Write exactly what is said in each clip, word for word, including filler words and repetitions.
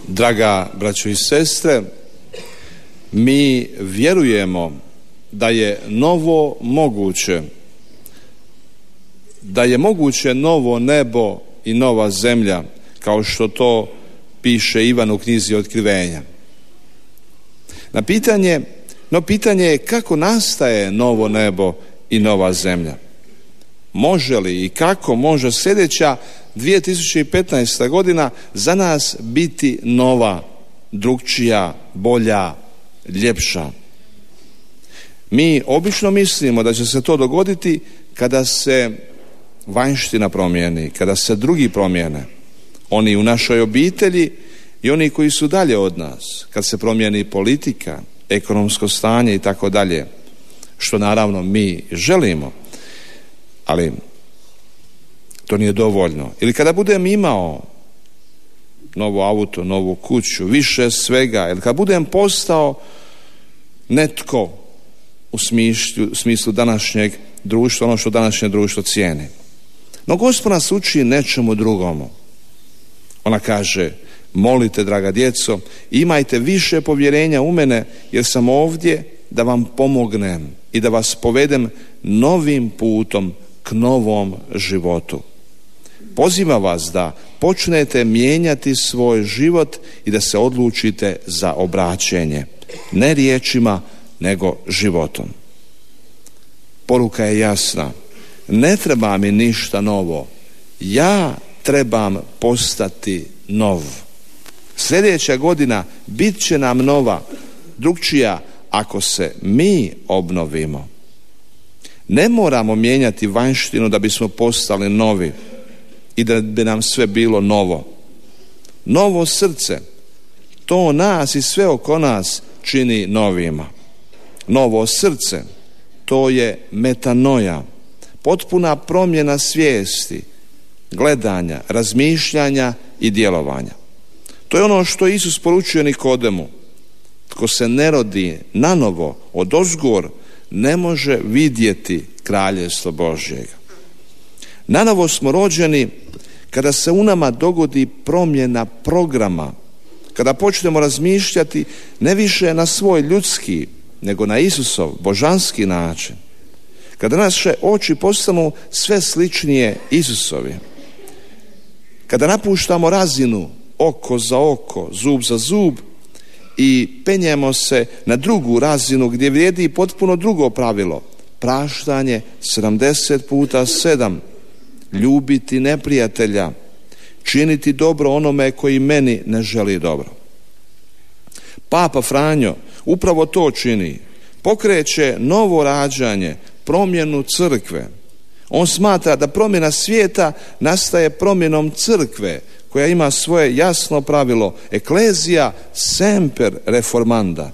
Draga braćo i sestre, mi vjerujemo da je novo moguće, da je moguće novo nebo i nova zemlja, kao što to piše Ivan u knjizi Otkrivenja. Na pitanje, no pitanje je kako nastaje novo nebo i nova zemlja. Može li i kako može sljedeća dvije tisuće petnaesta godina za nas biti nova, drukčija, bolja, ljepša? Mi obično mislimo da će se to dogoditi kada se vanjština promijeni, kada se drugi promijene, oni u našoj obitelji i oni koji su dalje od nas, kad se promijeni politika, ekonomsko stanje i tako dalje, što naravno mi želimo, ali to nije dovoljno. Ili kada budem imao novo auto, novu kuću, više svega, ili kada budem postao netko u smislu, u smislu današnjeg društva, ono što današnje društvo cijeni. No Gospod nas uči nečemu drugomu. Ona kaže: molite, draga djeco, imajte više povjerenja u mene, jer sam ovdje da vam pomognem i da vas povedem novim putom k novom životu. Pozivam vas da počnete mijenjati svoj život i da se odlučite za obraćenje, ne riječima, nego životom. Poruka je jasna. Ne treba mi ništa novo. Ja trebam postati nov. Sljedeća godina bit će nam nova, drukčija, ako se mi obnovimo. Ne moramo mijenjati vanjštinu da bismo postali novi i da bi nam sve bilo novo. Novo srce, to nas i sve oko nas čini novima. Novo srce, to je metanoja, potpuna promjena svijesti, gledanja, razmišljanja i djelovanja. To je ono što Isus poručuje Nikodemu. Tko se ne rodi nanovo odozgor, ne može vidjeti kraljevstvo Božjega. Nanovo smo rođeni kada se u nama dogodi promjena programa, kada počnemo razmišljati ne više na svoj ljudski, nego na Isusov božanski način. Kada naše oči postanu sve sličnije Isusovi. Kada napuštamo razinu oko za oko, zub za zub i penjemo se na drugu razinu gdje vrijedi potpuno drugo pravilo. Praštanje sedamdeset puta sedam. Ljubiti neprijatelja. Činiti dobro onome koji meni ne želi dobro. Papa Franjo upravo to čini. Pokreće novo rađanje, promjenu crkve. On smatra da promjena svijeta nastaje promjenom crkve, koja ima svoje jasno pravilo Ecclesia semper reformanda.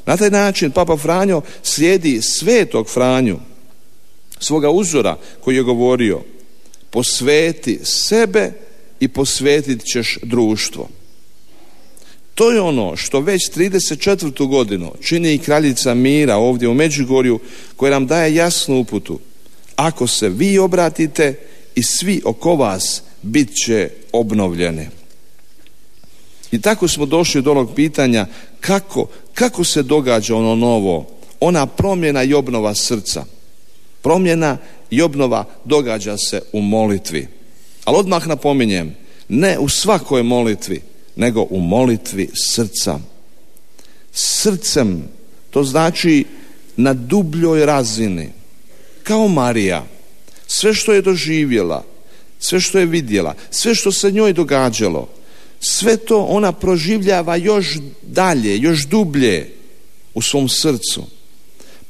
Na taj način Papa Franjo slijedi svetog Franju, svoga uzora koji je govorio: posveti sebe i posvetit ćeš društvo. To je ono što već trideset četvrtu godinu čini i kraljica mira ovdje u Međugorju, koja nam daje jasnu uputu. Ako se vi obratite i svi oko vas bit će obnovljeni. I tako smo došli do onog pitanja kako, kako se događa ono novo, ona promjena i obnova srca. Promjena i obnova događa se u molitvi. Ali odmah napominjem, ne u svakoj molitvi, nego u molitvi srca. Srcem, to znači na dubljoj razini, kao Marija. Sve što je doživjela, sve što je vidjela, sve što se njoj događalo, sve to ona proživljava još dalje, još dublje u svom srcu.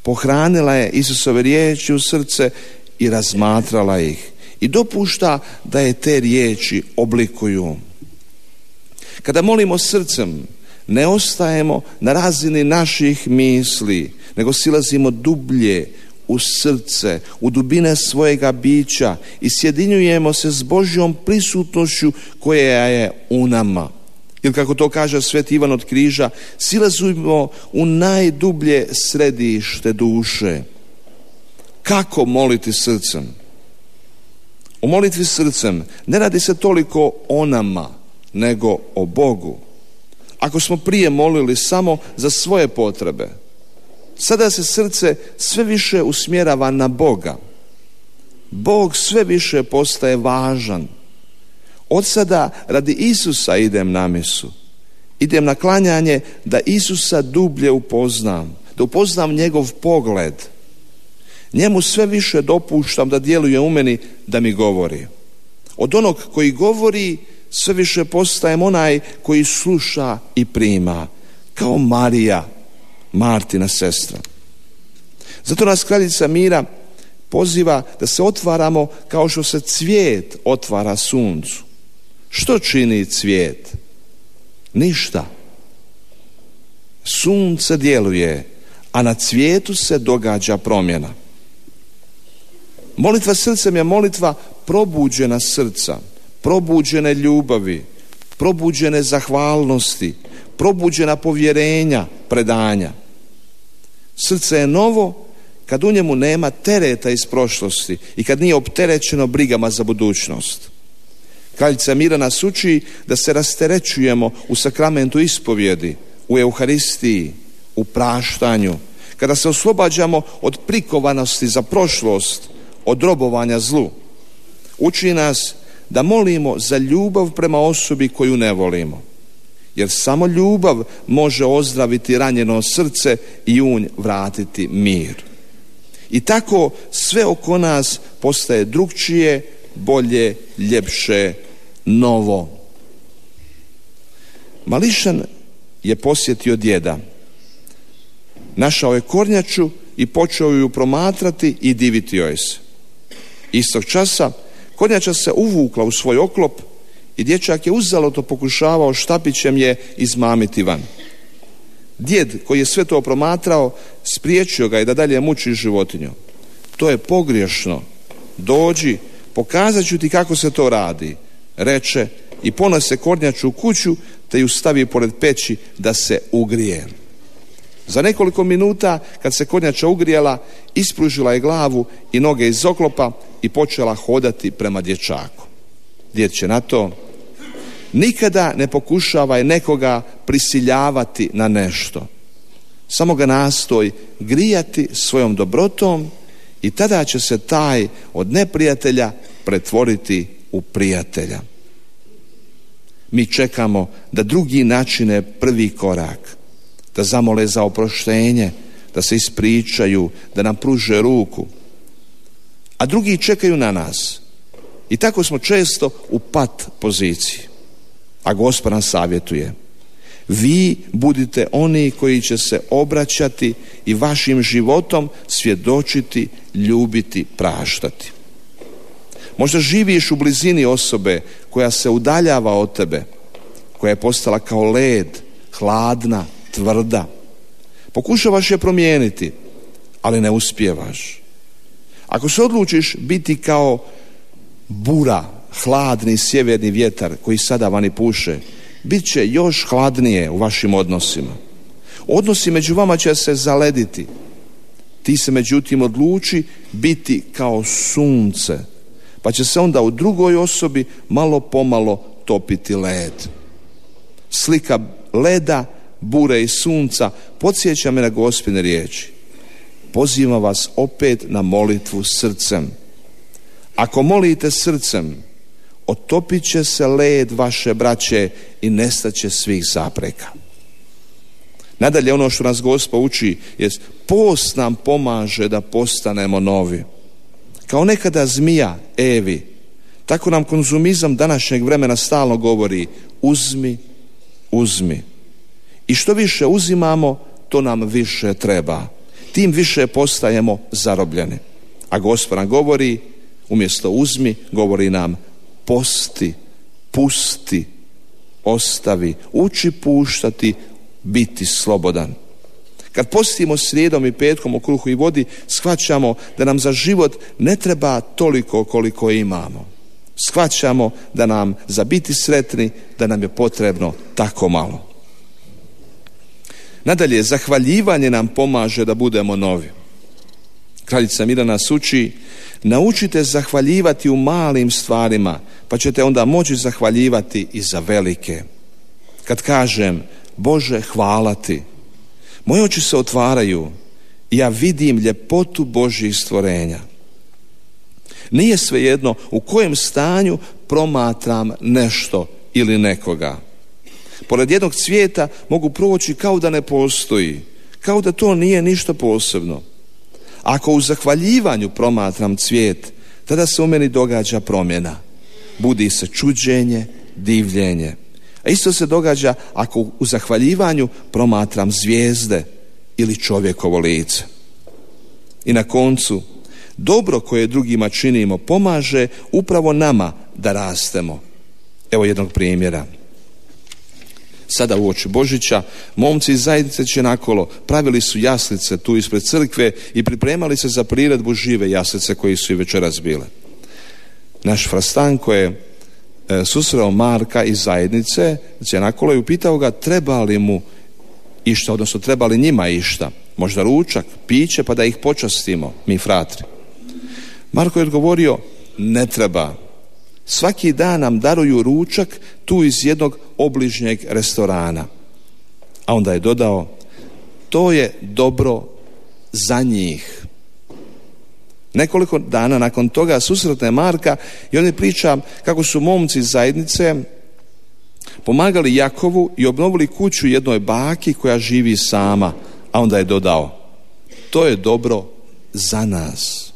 Pohranila je Isusove riječi u srce i razmatrala ih i dopušta da je te riječi oblikuju. Kada molimo srcem, ne ostajemo na razini naših misli, nego silazimo dublje u srce, u dubine svojega bića i sjedinjujemo se s Božjom prisutnošću koja je u nama. Ili kako to kaže Sveti Ivan od Križa, silazimo u najdublje središte duše. Kako moliti srcem? U molitvi srcem ne radi se toliko o nama, nego o Bogu. Ako smo prije molili samo za svoje potrebe, sada se srce sve više usmjerava na Boga. Bog sve više postaje važan. Od sada radi Isusa idem na misu. Idem na klanjanje da Isusa dublje upoznam, da upoznam njegov pogled. Njemu sve više dopuštam da djeluje u meni, da mi govori. Od onog koji govori sve više postajem onaj koji sluša i prima, kao Marija, Martina sestra. Zato nas kraljica mira poziva da se otvaramo kao što se cvijet otvara suncu. Što čini cvijet? Ništa. Sunce djeluje, a na cvijetu se događa promjena. Molitva srcem je molitva probuđena srca, probuđene ljubavi, probuđene zahvalnosti, probuđena povjerenja, predanja. Srce je novo kad u njemu nema tereta iz prošlosti i kad nije opterećeno brigama za budućnost. Kraljica mira nas uči da se rasterećujemo u sakramentu ispovjedi, u Euharistiji, u praštanju, kada se oslobađamo od prikovanosti za prošlost, od robovanja zlu. Uči nas da molimo za ljubav prema osobi koju ne volimo, jer samo ljubav može ozdraviti ranjeno srce i u nj vratiti mir. I tako sve oko nas postaje drukčije, bolje, ljepše, novo. Mališan je posjetio djeda. Našao je kornjaču i počeo ju promatrati i diviti joj se. Istog časa kornjača se uvukla u svoj oklop i dječak je uzaludno pokušavao štapićem je izmamiti van. Djed koji je sve to promatrao spriječio ga je da dalje muči životinju. To je pogriješno. Dođi, pokazat ću ti kako se to radi, reče i ponese kornjaču u kuću te ju stavi pored peći da se ugrije. Za nekoliko minuta kad se kornjača ugrijala, ispružila je glavu i noge iz oklopa i počela hodati prema dječaku. Djed će na to: nikada ne pokušavaj nekoga prisiljavati na nešto. Samo ga nastoj grijati svojom dobrotom i tada će se taj od neprijatelja pretvoriti u prijatelja. Mi čekamo da drugi načine prvi korak, da zamole za oproštenje, da se ispričaju, da nam pruže ruku. A drugi čekaju na nas. I tako smo često u pat poziciji. A Gospod nam savjetuje: vi budite oni koji će se obraćati i vašim životom svjedočiti, ljubiti, praštati. Možda živiš u blizini osobe koja se udaljava od tebe, koja je postala kao led, hladna, tvrda. Pokušavaš je promijeniti, ali ne uspijevaš. Ako se odlučiš biti kao bura, hladni sjeverni vjetar koji sada vani puše, bit će još hladnije u vašim odnosima. Odnosi među vama će se zalediti. Ti se međutim odluči biti kao sunce, pa će se onda u drugoj osobi malo pomalo topiti led. Slika leda, bure i sunca podsjeća me na Gospine riječi: pozivam vas opet na molitvu srcem. Ako molite srcem, otopit će se led vaše braće i nestaće svih zapreka. Nadalje, ono što nas Gospod uči jest: post nam pomaže da postanemo novi. Kao nekada zmija Evi, tako nam konzumizam današnjeg vremena stalno govori: uzmi, uzmi. I što više uzimamo, to nam više treba. Tim više postajemo zarobljeni. A Gospod nam govori, umjesto uzmi, govori nam: posti, pusti, ostavi, uči puštati, biti slobodan. Kad postimo srijedom i petkom o kruhu i vodi, shvaćamo da nam za život ne treba toliko koliko imamo. Shvaćamo da nam za biti sretni, da nam je potrebno tako malo. Nadalje, zahvaljivanje nam pomaže da budemo novi. Kraljica mira nas uči: naučite zahvaljivati u malim stvarima, pa ćete onda moći zahvaljivati i za velike. Kad kažem Bože hvala ti, moje oči se otvaraju i ja vidim ljepotu Božjih stvorenja. Nije svejedno u kojem stanju promatram nešto ili nekoga. Pored jednog cvijeta mogu proći kao da ne postoji, kao da to nije ništa posebno. Ako u zahvaljivanju promatram cvijet, tada se u meni događa promjena. Budi se čuđenje, divljenje. A isto se događa ako u zahvaljivanju promatram zvijezde ili čovjekovo lice. I na koncu, dobro koje drugima činimo pomaže upravo nama da rastemo. Evo jednog primjera. Sada uoči Božića momci iz zajednice Čenakolo pravili su jaslice tu ispred crkve i pripremali se za priredbu žive jaslice koji su i večeras bile. Naš Frastanko je e, susreo Marka iz zajednice Čenakolo i upitao ga treba li mu išta, odnosno treba li njima išta, možda ručak, piće pa da ih počastimo, mi fratri. Marko je odgovorio ne treba. Svaki dan nam daruju ručak tu iz jednog obližnjeg restorana. A onda je dodao, to je dobro za njih. Nekoliko dana nakon toga susretne Marka i on je priča kako su momci iz zajednice pomagali Jakovu i obnovili kuću jednoj baki koja živi sama. A onda je dodao, to je dobro za nas.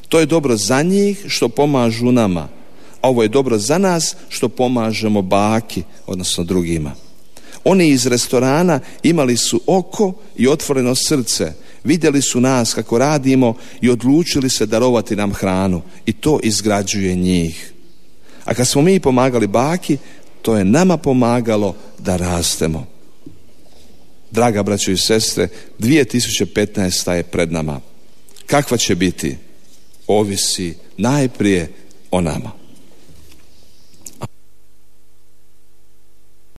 To je dobro za njih što pomažu nama, a ovo je dobro za nas što pomažemo baki, odnosno drugima. Oni iz restorana imali su oko i otvoreno srce, vidjeli su nas kako radimo i odlučili se darovati nam hranu i to izgrađuje njih. A kad smo mi pomagali baki, to je nama pomagalo da rastemo. Draga braćo i sestre, dvije tisuće petnaesta je pred nama. Kakva će biti? Ovisi najprije o nama.